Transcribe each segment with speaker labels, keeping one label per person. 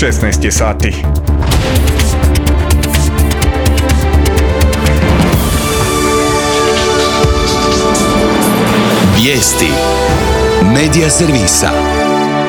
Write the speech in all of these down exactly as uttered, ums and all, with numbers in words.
Speaker 1: šesnaest je sati.
Speaker 2: Vijesti Medija servisa.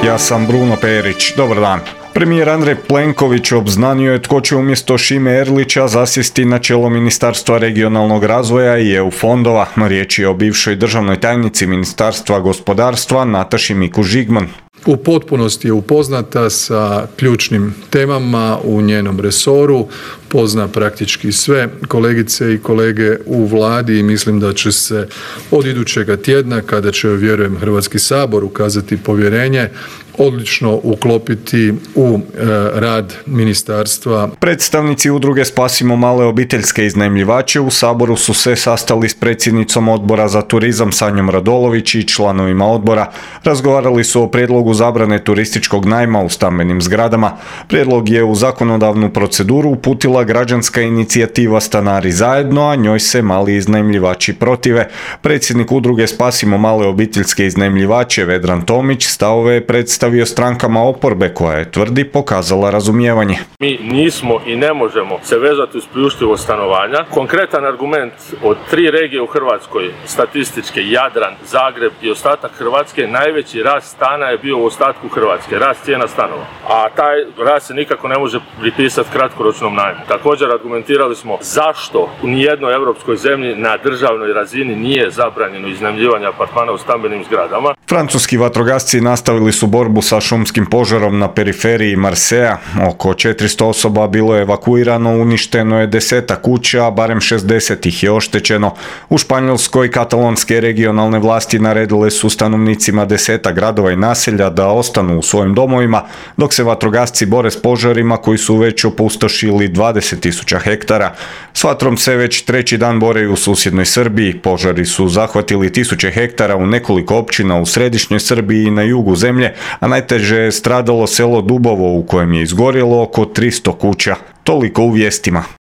Speaker 1: Ja sam Bruno Perić. Dobar dan. Premijer Andrej Plenković obznanio je tko će umjesto Šime Erlića zasjesti na čelo Ministarstva regionalnog razvoja i E U fondova. Riječ je o bivšoj državnoj tajnici Ministarstva gospodarstva Nataši Mikuš-Žigman.
Speaker 3: U potpunosti je upoznata sa ključnim temama u njenom resoru, pozna praktički sve kolegice i kolege u vladi i mislim da će se od idućega tjedna, kada će, vjerujem, Hrvatski sabor ukazati povjerenje, odlično uklopiti u e, rad ministarstva.
Speaker 1: Predstavnici udruge Spasimo male obiteljske iznajmljivače u Saboru su se sastali s predsjednicom Odbora za turizam Sanjom Radolović i članovima odbora. Razgovarali su o prijedlogu zabrane turističkog najma u stambenim zgradama. Prijedlog je u zakonodavnu proceduru uputila građanska inicijativa Stanari zajedno, a njoj se mali iznajmljivači protive. Predsjednik udruge Spasimo male obiteljske iznajmljivače Vedran Tomić stavove je predstavio strankama oporbe koja je, tvrdi, pokazala razumijevanje.
Speaker 4: Mi nismo i ne možemo se vezati uz priuštivost stanovanja. Konkretan argument od tri regije u Hrvatskoj, statističke, Jadran, Zagreb i ostatak Hrvatske, najveći rast stana je bio u ostatku Hrvatske, rast cijena stanova. A taj rast se nikako ne može pripisati kratkoročnom najmu. Također argumentirali smo zašto u nijednoj europskoj zemlji na državnoj razini nije zabranjeno iznajmljivanje apartmana u stambenim zgradama.
Speaker 1: Francuski vatrogasci nastavili su borbu sa šumskim požarom na periferiji Marseja. Oko četiristo osoba bilo je evakuirano, uništeno je desetak kuća, a barem šezdeset ih je oštećeno. U Španjolskoj katalonske regionalne vlasti naredile su stanovnicima desetak gradova i naselja da ostanu u svojim domovima, dok se vatrogasci bore s požarima koji su već opustošili dvadeset tisuća hektara. S vatrom se već treći dan bore i u susjednoj Srbiji. Požari su zahvatili tisuće hektara u nekoliko općina u središnjoj Srbiji i na jugu zemlje, a najteže je stradalo selo Dubovo u kojem je izgorjelo oko tristo kuća. Toliko u vijestima.